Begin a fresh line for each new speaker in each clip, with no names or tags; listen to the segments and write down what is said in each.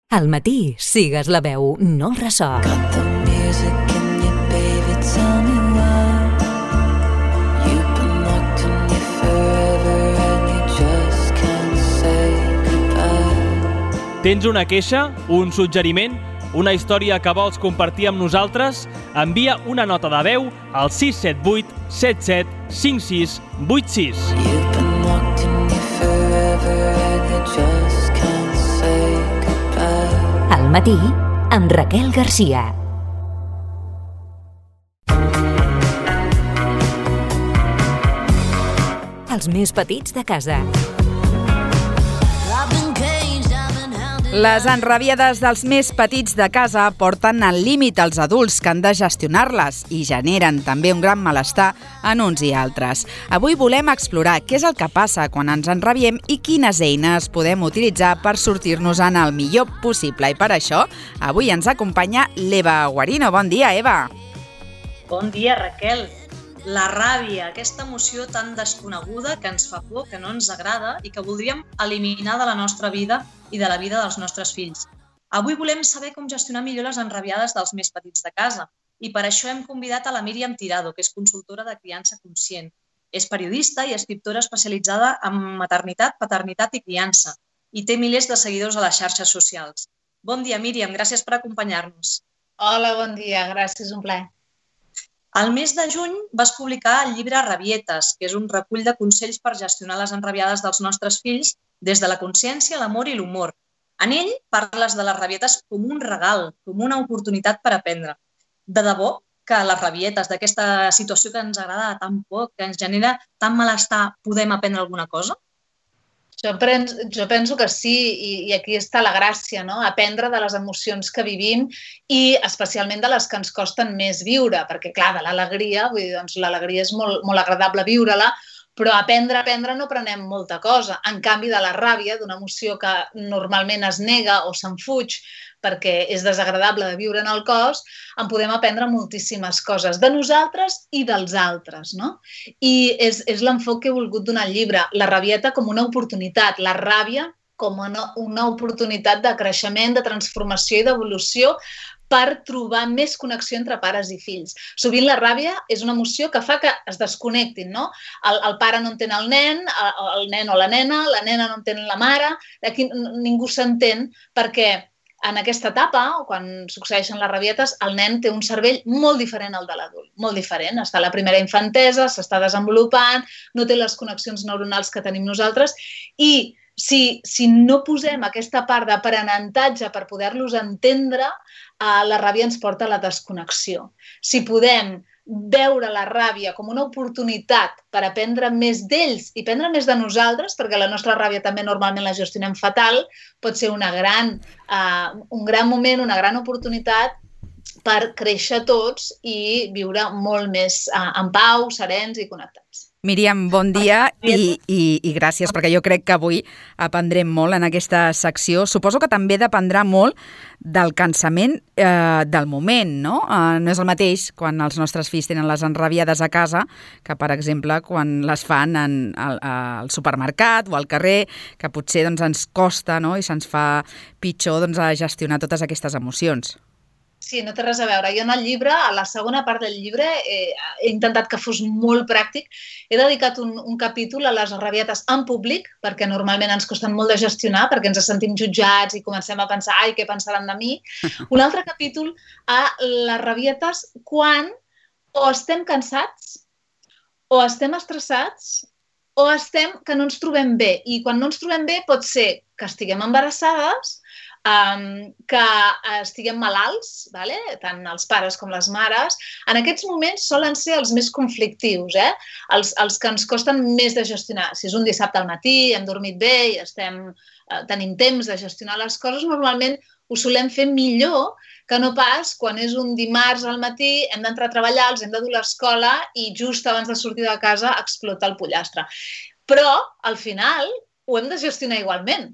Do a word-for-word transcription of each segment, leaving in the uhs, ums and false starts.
Al matí, sigues la veu, no el ressò.
Tens una queixa, un suggeriment, una història que vols compartir amb nosaltres? Envia una nota de veu al sis set vuit set set cinc sis vuit sis.
Al matí, amb Raquel Garcia. Els més petits de casa.
Les enrabiades dels més petits de casa porten al límit els adults que han de gestionar-les i generen també un gran malestar en uns i altres. Avui volem explorar què és el que passa quan ens enrabiem i quines eines podem utilitzar per sortir-nos-en el millor possible. I per això, avui ens acompanya l'Eva Guarino. Bon dia, Eva.
Bon dia, Raquel. La ràbia, aquesta emoció tan desconeguda que ens fa por, que no ens agrada i que voldríem eliminar de la nostra vida i de la vida dels nostres fills. Avui volem saber com gestionar millor les enrabiades dels més petits de casa i per això hem convidat a la Míriam Tirado, que és consultora de criança conscient. És periodista i escriptora especialitzada en maternitat, paternitat i criança i té milers de seguidors a les xarxes socials. Bon dia, Míriam, gràcies per acompanyar-nos.
Hola, bon dia, gràcies, un plaer.
Al mes de juny vas publicar el llibre Rabietes, que és un recull de consells per gestionar les enrabiades dels nostres fills des de la consciència, l'amor i l'humor. En ell parles de les rabietes com un regal, com una oportunitat per aprendre. De debò que les rabietes d'aquesta situació que ens agrada tan poc, que ens genera tant malestar, podem aprendre alguna cosa?
Jo penso, jo penso que sí, i, i aquí està la gràcia, no? Aprendre de les emocions que vivim i especialment de les que ens costen més viure, perquè clar, de l'alegria, vull dir, doncs l'alegria és molt, molt agradable viure-la, però aprendre, aprendre no aprenem molta cosa. En canvi, de la ràbia, d'una emoció que normalment es nega o se'n fuig perquè és desagradable de viure en el cos, en podem aprendre moltíssimes coses de nosaltres i dels altres, no? I és, és l'enfoc que he volgut donar al llibre, la rabieta com una oportunitat, la ràbia com una, una oportunitat de creixement, de transformació i d'evolució per trobar més connexió entre pares i fills. Sovint la ràbia és una emoció que fa que es desconnectin, no? El, el pare no entén el nen, el, el nen o la nena, la nena no entén la mare, aquí ningú s'entén perquè en aquesta etapa, quan succeeixen les rabietes, el nen té un cervell molt diferent al de l'adult, molt diferent. Està a la primera infantesa, s'està desenvolupant, no té les connexions neuronals que tenim nosaltres i si, si no posem aquesta part d'aprenentatge per poder-los entendre, eh, la ràbia ens porta a la desconnexió. Si podem veure la ràbia com una oportunitat per aprendre més d'ells i aprendre més de nosaltres, perquè la nostra ràbia també normalment la gestionem fatal, pot ser una gran, uh, un gran moment, una gran oportunitat per créixer tots i viure molt més uh, en pau, serens i connectats.
Míriam, bon dia i, i, i gràcies, perquè jo crec que avui aprendrem molt en aquesta secció. Suposo que també dependrà molt del cansament eh, del moment, no? Eh, no és el mateix quan els nostres fills tenen les enrabiades a casa que, per exemple, quan les fan en, al, al supermercat o al carrer, que potser doncs, ens costa, no? I se'ns fa pitjor doncs, a gestionar totes aquestes emocions.
Sí, no té res a veure. Jo en el llibre, a la segona part del llibre, eh, he intentat que fos molt pràctic. He dedicat un, un capítol a les rabietes en públic, perquè normalment ens costen molt de gestionar, perquè ens sentim jutjats i comencem a pensar, ai, què pensaran de mi? Un altre capítol a les rabietes quan o estem cansats, o estem estressats, o estem que no ens trobem bé. I quan no ens trobem bé pot ser que estiguem embarassades, Um, que estiguem malalts, vale? Tant els pares com les mares. En aquests moments solen ser els més conflictius, eh? els, els que ens costen més de gestionar. Si és un dissabte al matí, hem dormit bé i estem, uh, tenim temps de gestionar les coses, normalment ho solem fer millor que no pas quan és un dimarts al matí, hem d'entrar a treballar, els hem de dur a l'escola i just abans de sortir de casa explota el pollastre. Però, al final, ho hem de gestionar igualment.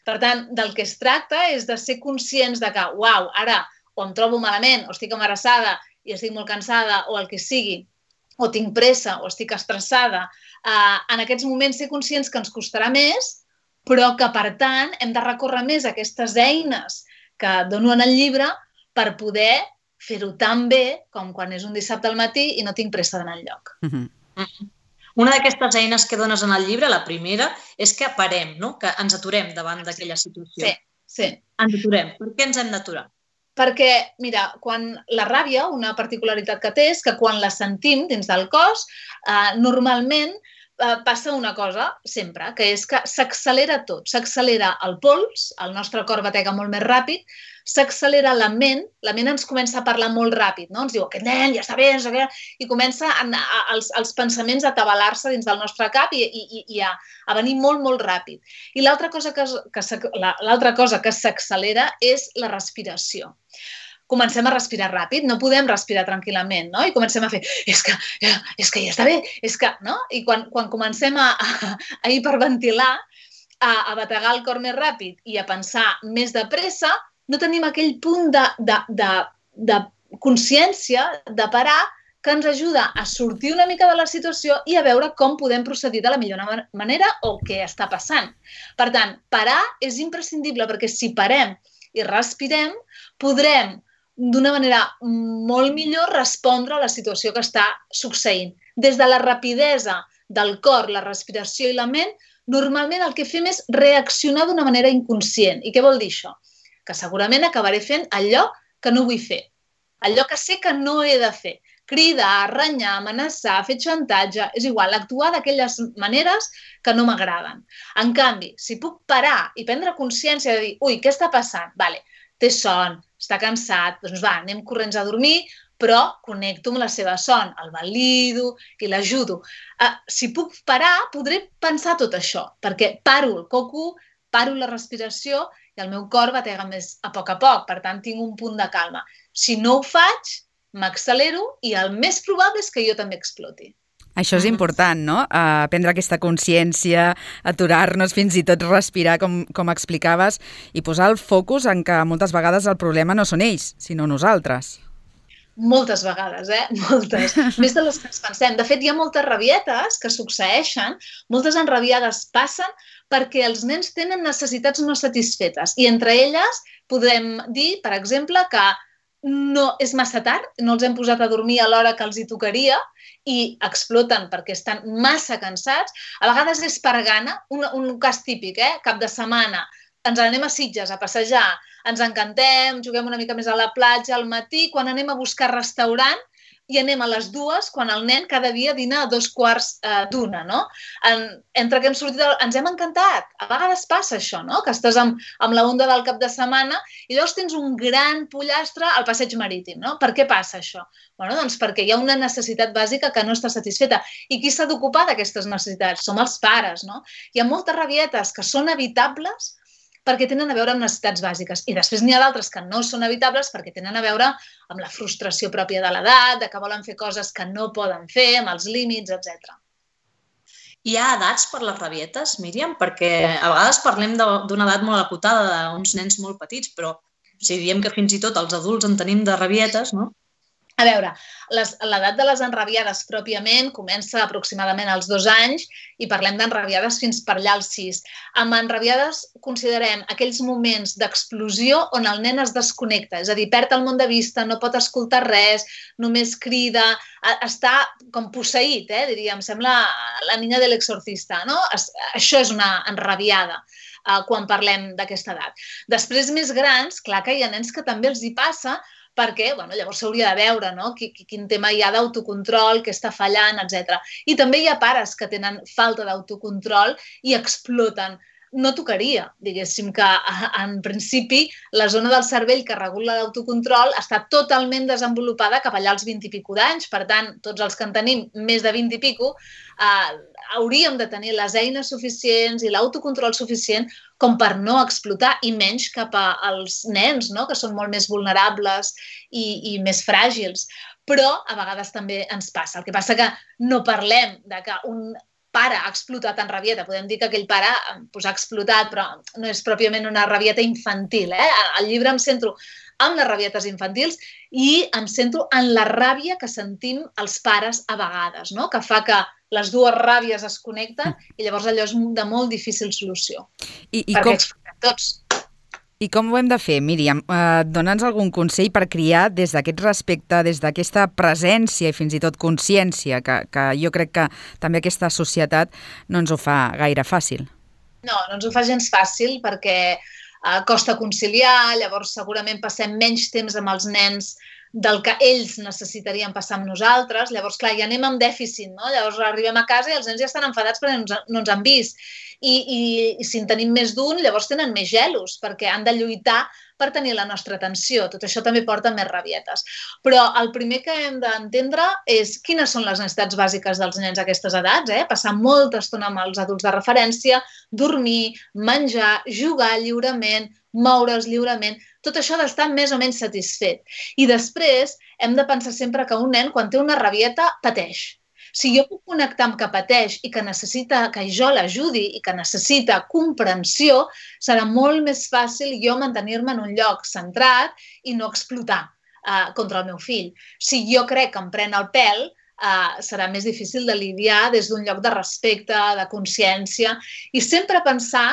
Per tant, del que es tracta és de ser conscients de que, uau, ara o em trobo malament, o estic embarassada i estic molt cansada, o el que sigui, o tinc pressa, o estic estressada, eh, en aquests moments ser conscients que ens costarà més, però que, per tant, hem de recórrer més a aquestes eines que dono en el llibre per poder fer-ho tan bé com quan és un dissabte al matí i no tinc pressa d'anar enlloc.
Mhm.
Mm. Una d'aquestes eines que dones en el llibre, la primera, és que parem, no? Que ens aturem davant d'aquella situació.
Sí, sí.
Ens aturem. Per què ens hem d'aturar?
Perquè, mira, quan la ràbia, una particularitat que té és que quan la sentim dins del cos, eh, normalment eh, passa una cosa, sempre, que és que s'accelera tot. S'accelera el pols, el nostre cor batega molt més ràpid, s'accelera la ment, la ment ens comença a parlar molt ràpid, no? Ens diu, aquest nen ja està bé, no sé què, i comença a, a, els, els pensaments a atabalar-se dins del nostre cap i, i, i a, a venir molt, molt ràpid. I l'altra cosa que, que, l'altra cosa que s'accelera és la respiració. Comencem a respirar ràpid, no podem respirar tranquil·lament, no? I comencem a fer, és que, és que ja està bé, és que, no? I quan, quan comencem a, a, a hiperventilar, a, a bategar el cor més ràpid i a pensar més de pressa, no tenim aquell punt de, de, de, de consciència, de parar, que ens ajuda a sortir una mica de la situació i a veure com podem procedir de la millor manera o què està passant. Per tant, parar és imprescindible perquè si parem i respirem, podrem d'una manera molt millor respondre a la situació que està succeint. Des de la rapidesa del cor, la respiració i la ment, normalment el que fem és reaccionar d'una manera inconscient. I què vol dir això? Que segurament acabaré fent allò que no vull fer, allò que sé que no he de fer. Cridar, renyar, amenaçar, fer xantatge, és igual, actuar d'aquelles maneres que no m'agraden. En canvi, si puc parar i prendre consciència de dir, ui, què està passant? Vale, té son, està cansat, doncs va, anem corrents a dormir, però connecto amb la seva son, el valido i l'ajudo. Uh, si puc parar, podré pensar tot això, perquè paro el coco, paro la respiració i el meu cor batega més a poc a poc, per tant tinc un punt de calma. Si no ho faig, m'accelero i el més probable és que jo també exploti.
Això és important, no? Uh, prendre aquesta consciència, aturar-nos, fins i tot respirar, com, com explicaves, i posar el focus en que moltes vegades el problema no són ells, sinó nosaltres.
Moltes vegades, eh? Moltes. Més de les que ens pensem. De fet, hi ha moltes rabietes que succeeixen, moltes enrabiades passen perquè els nens tenen necessitats no satisfetes. I entre elles podem dir, per exemple, que no és massa tard, no els hem posat a dormir a l'hora que els hi tocaria i exploten perquè estan massa cansats. A vegades és per gana, un, un cas típic, eh? Cap de setmana, ens anem a Sitges a passejar, ens encantem, juguem una mica més a la platja al matí, quan anem a buscar restaurant i anem a les dues, quan el nen cada dia dina a dos quarts eh, d'una, no? En, entre que hem sortit, ens hem encantat. A vegades passa això, no? Que estàs amb, amb la onda del cap de setmana i llavors tens un gran pollastre al passeig marítim, no? Per què passa això? Bueno, doncs perquè hi ha una necessitat bàsica que no està satisfeta. I qui s'ha d'ocupar d'aquestes necessitats? Som els pares, no? Hi ha moltes rabietes que són evitables perquè tenen a veure amb necessitats bàsiques. I després n'hi ha d'altres que no són evitables perquè tenen a veure amb la frustració pròpia de l'edat, de que volen fer coses que no poden fer, amb els límits, etcètera.
Hi ha edats per les rabietes, Míriam? Perquè a vegades parlem d'una edat molt acotada, d'uns nens molt petits, però si diem que fins i tot els adults en tenim de rabietes, no?
A veure, l'edat de les enrabiades pròpiament comença aproximadament als dos anys i parlem d'enrabiades fins per allà als sis. Amb enrabiades considerem aquells moments d'explosió on el nen es desconnecta, és a dir, perd el món de vista, no pot escoltar res, només crida, està com posseït, eh, diríem, sembla la niña de l'exorcista, no? Això és una enrabiada quan parlem d'aquesta edat. Després, més grans, clar que hi ha nens que també els hi passa, perquè bueno, llavors s'hauria de veure, no? Quin tema hi ha d'autocontrol, què està fallant, etcètera. I també hi ha pares que tenen falta d'autocontrol i exploten. No tocaria, diguéssim que en principi la zona del cervell que regula l'autocontrol està totalment desenvolupada cap allà als vint i pico d'anys, per tant, tots els que en tenim més de vint i pico eh, hauríem de tenir les eines suficients i l'autocontrol suficient com per no explotar i menys cap als nens, no? Que són molt més vulnerables i, i més fràgils. Però a vegades també ens passa. El que passa que no parlem de que un pare ha explotat en rabieta. Podem dir que aquell pare pues, ha explotat, però no és pròpiament una rabieta infantil. Eh? Al llibre em centro en les rabietes infantils i em centro en la ràbia que sentim els pares a vegades, no? Que fa que les dues ràbies es connecten i llavors allò és de molt difícil solució.
I, i
perquè
com...
explotem tots.
I com ho hem de fer, Míriam? Eh, Dóna'ns algun consell per criar des d'aquest respecte, des d'aquesta presència i fins i tot consciència, que, que jo crec que també aquesta societat no ens ho fa gaire fàcil.
No, no ens ho fa gens fàcil perquè eh, costa conciliar, llavors segurament passem menys temps amb els nens del que ells necessitarien passar amb nosaltres. Llavors, clar, ja anem amb dèficit, no? Llavors arribem a casa i els nens ja estan enfadats perquè no ens, no ens han vist. I, i, i si en tenim més d'un, llavors tenen més gelos, perquè han de lluitar per tenir la nostra atenció. Tot això també porta més rabietes. Però el primer que hem d'entendre és quines són les necessitats bàsiques dels nens a aquestes edats, eh? Passar molta estona amb els adults de referència, dormir, menjar, jugar lliurement, moure's lliurement, tot això ha d'estar més o menys satisfet. I després hem de pensar sempre que un nen, quan té una rabieta, pateix. Si jo puc connectar amb que pateix i que necessita que jo l'ajudi i que necessita comprensió, serà molt més fàcil jo mantenir-me en un lloc centrat i no explotar eh, contra el meu fill. Si jo crec que em pren el pèl, eh, serà més difícil de lidiar des d'un lloc de respecte, de consciència, i sempre pensar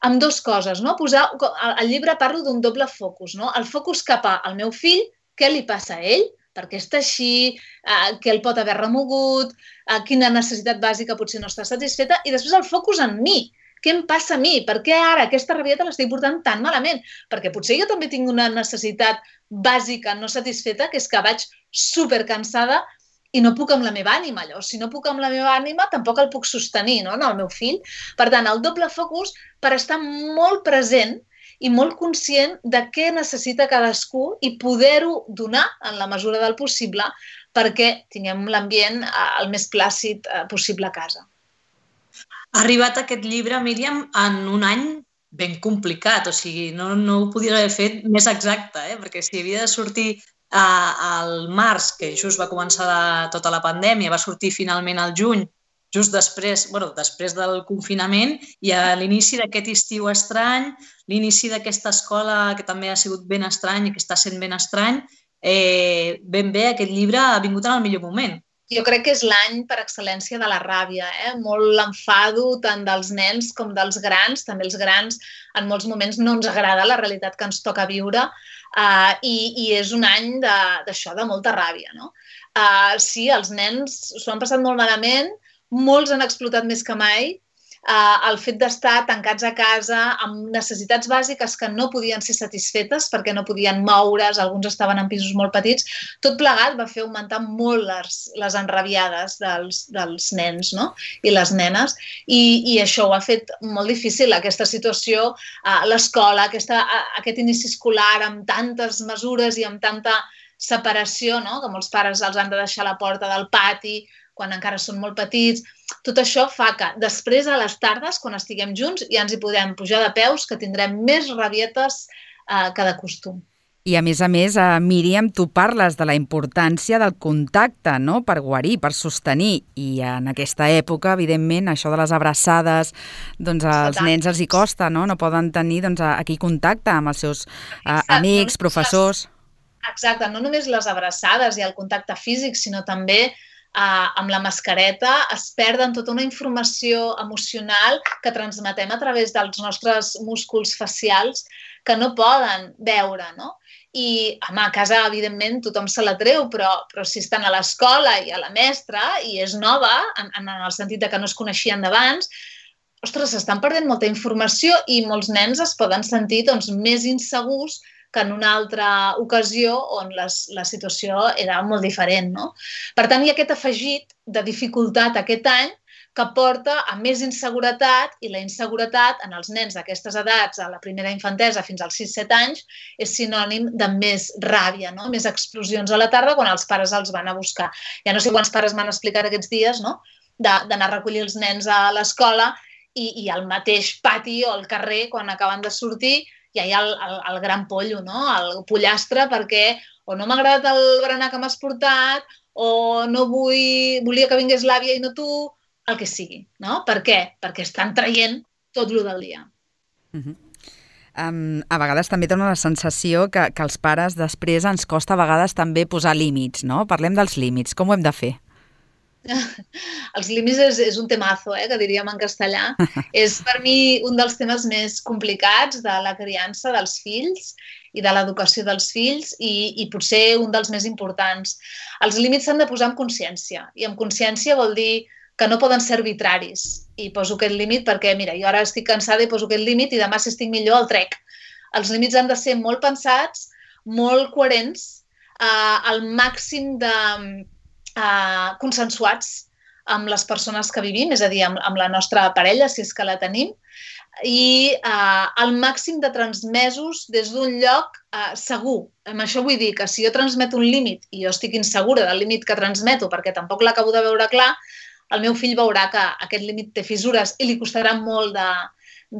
amb dues coses, no? Posar, al llibre parlo d'un doble focus, no? El focus cap al meu fill, què li passa a ell, per què està així, eh, què el pot haver remogut, eh, quina necessitat bàsica potser no està satisfeta, i després el focus en mi. Què em passa a mi? Per què ara aquesta rabieta l'estic portant tan malament? Perquè potser jo també tinc una necessitat bàsica no satisfeta, que és que vaig supercansada i no puc amb la meva ànima, allò. Si no puc amb la meva ànima, tampoc el puc sostenir, no?, en el meu fill. Per tant, el doble focus per estar molt present i molt conscient de què necessita cadascú i poder-ho donar en la mesura del possible perquè tinguem l'ambient el més plàcid possible a casa.
Ha arribat aquest llibre, Míriam, en un any ben complicat, o sigui, no, no ho podia haver fet més exacte, eh? Perquè si havia de sortir eh, al març, que just va començar de, tota la pandèmia, va sortir finalment al juny, just després, bueno, després del confinament, i a l'inici d'aquest estiu estrany, l'inici d'aquesta escola que també ha sigut ben estrany i que està sent ben estrany, eh, ben bé aquest llibre ha vingut en el millor moment.
Jo crec que és l'any per excel·lència de la ràbia, eh? Molt l'enfado tant dels nens com dels grans. També els grans en molts moments no ens agrada la realitat que ens toca viure uh, i, i és un any d'això, de, de molta ràbia, no? Uh, sí, els nens s'ho han passat molt malament, molts han explotat més que mai. Uh, el fet d'estar tancats a casa amb necessitats bàsiques que no podien ser satisfetes perquè no podien moure's, alguns estaven en pisos molt petits, tot plegat va fer augmentar molt les, les enrabiades dels, dels nens, no?, i les nenes, i, i això ho ha fet molt difícil, aquesta situació, uh, l'escola, aquesta, uh, aquest inici escolar amb tantes mesures i amb tanta separació, no?, que molts pares els han de deixar a la porta del pati quan encara són molt petits. Tot això fa que després a les tardes, quan estiguem junts, ja ens hi podem pujar de peus, que tindrem més rabietes eh, que de costum.
I a més a més, eh, Míriam, tu parles de la importància del contacte, no?, per guarir, per sostenir. I en aquesta època, evidentment, això de les abraçades, doncs als nens els hi costa, no? No poden tenir doncs, aquí contacte amb els seus eh, amics, professors.
Exacte, no només les abraçades i el contacte físic, sinó també Uh, amb la mascareta es perden tota una informació emocional que transmetem a través dels nostres músculs facials que no poden veure, no? I, home, a casa, evidentment, tothom se la treu, però, però si estan a l'escola i a la mestra i és nova, en, en el sentit de que no es coneixien d'abans, ostres, s'estan perdent molta informació i molts nens es poden sentir doncs, més insegurs que en una altra ocasió on les, la situació era molt diferent, no? Per tant, hi ha aquest afegit de dificultat aquest any que porta a més inseguretat, i la inseguretat en els nens d'aquestes edats, a la primera infantesa fins als sis set anys, és sinònim de més ràbia, no? Més explosions a la tarda quan els pares els van a buscar. Ja no sé quants pares m'han explicat aquests dies, no?, d'anar a recollir els nens a l'escola i, i al mateix pati o al carrer, quan acaben de sortir, i hi ha el, el, el gran pollo, no?, el pollastre, perquè o no m'ha agradat el berenar que m'has portat, o no vull, volia que vingués l'àvia i no tu, el que sigui, no? Per què? Perquè estan traient tot lo del dia.
Uh-huh. Um, a vegades també dona la sensació que, que els pares després ens costa a vegades també posar límits, no? Parlem dels límits, com ho hem de fer?
Els límits és, és un temazo, eh, que diríem en castellà. És per mi un dels temes més complicats de la criança dels fills i de l'educació dels fills i, i potser un dels més importants. Els límits s'han de posar amb consciència i amb consciència vol dir que no poden ser arbitraris i poso aquest límit perquè, mira, jo ara estic cansada i poso aquest límit i demà si estic millor el trec. Els límits han de ser molt pensats, molt coherents, eh, al màxim de Uh, consensuats amb les persones que vivim, és a dir, amb, amb la nostra parella, si és que la tenim, i uh, al màxim de transmesos des d'un lloc uh, segur. Amb això vull dir que si jo transmeto un límit i jo estic insegura del límit que transmeto perquè tampoc l'acabo de veure clar, el meu fill veurà que aquest límit té fissures i li costarà molt de,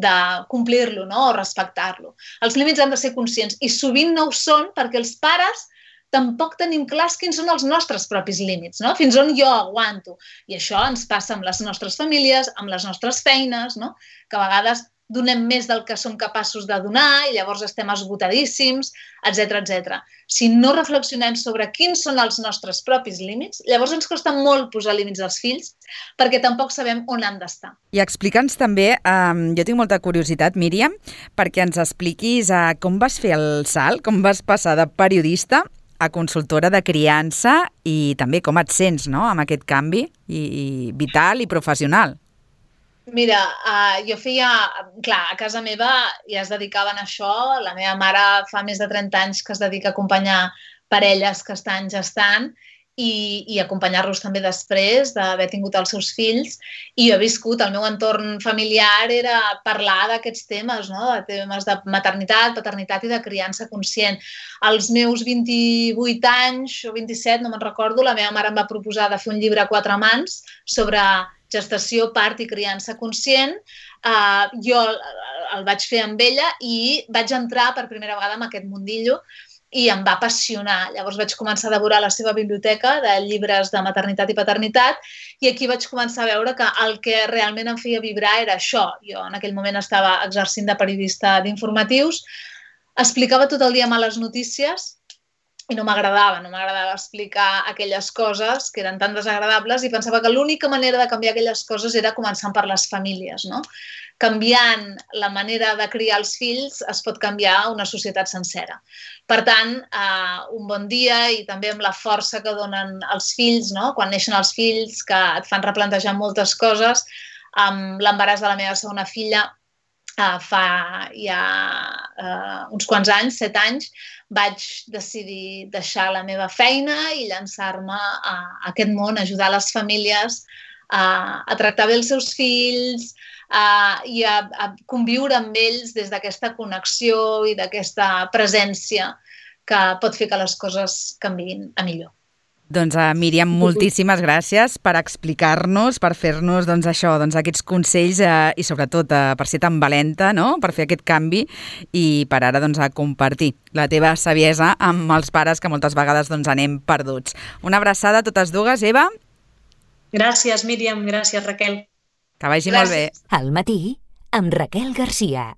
de complir-lo, no? O respectar-lo. Els límits han de ser conscients i sovint no ho són perquè els pares tampoc tenim clars quins són els nostres propis límits, no? Fins on jo aguanto. I això ens passa amb les nostres famílies, amb les nostres feines, no? Que a vegades donem més del que som capaços de donar i llavors estem esgotadíssims, etcètera, etcètera. Si no reflexionem sobre quins són els nostres propis límits, llavors ens costa molt posar límits als fills perquè tampoc sabem on han d'estar.
I explica'ns també, um, jo tinc molta curiositat, Míriam, perquè ens expliquis uh, com vas fer el salt, com vas passar de periodista a consultora de criança i també com et sents, no?, amb aquest canvi i, i vital i professional.
Mira, uh, jo feia... Clar, a casa meva ja es dedicaven a això. La meva mare fa més de trenta anys que es dedica a acompanyar parelles que estan gestant i, i acompanyar-los també després d'haver tingut els seus fills. I jo he viscut, el meu entorn familiar era parlar d'aquests temes, no? De temes de maternitat, paternitat i de criança conscient. Als meus vint-i-vuit anys o vint-i-set, no me'n recordo, la meva mare em va proposar de fer un llibre a quatre mans sobre gestació, part i criança conscient. Uh, jo el vaig fer amb ella i vaig entrar per primera vegada en aquest mundillo i em va apassionar. Llavors vaig començar a devorar la seva biblioteca de llibres de maternitat i paternitat i aquí vaig començar a veure que el que realment em feia vibrar era això. Jo en aquell moment estava exercint de periodista d'informatius, explicava tot el dia males notícies i no m'agradava, no m'agradava explicar aquelles coses que eren tan desagradables i pensava que l'única manera de canviar aquelles coses era començant per les famílies, no? Canviant la manera de criar els fills es pot canviar una societat sencera. Per tant, eh, un bon dia i també amb la força que donen els fills, no? Quan neixen els fills, que et fan replantejar moltes coses, amb l'embaràs de la meva segona filla, eh, fa ja eh, uns quants anys, set anys, vaig decidir deixar la meva feina i llançar-me a aquest món, ajudar les famílies a, a tractar bé els seus fills a, i a, a conviure amb ells des d'aquesta connexió i d'aquesta presència que pot fer que les coses canviïn a millor.
Doncs, uh, Míriam, moltíssimes gràcies per explicar-nos, per fer-nos doncs, això, doncs, aquests consells uh, i sobretot uh, per ser tan valenta, no?, per fer aquest canvi i per ara doncs, a compartir la teva saviesa amb els pares que moltes vegades doncs, anem perduts. Una abraçada a totes dues, Eva.
Gràcies, Míriam. Gràcies, Raquel.
Que vagi
Gràcies.
molt bé.
Al matí, amb Raquel Garcia.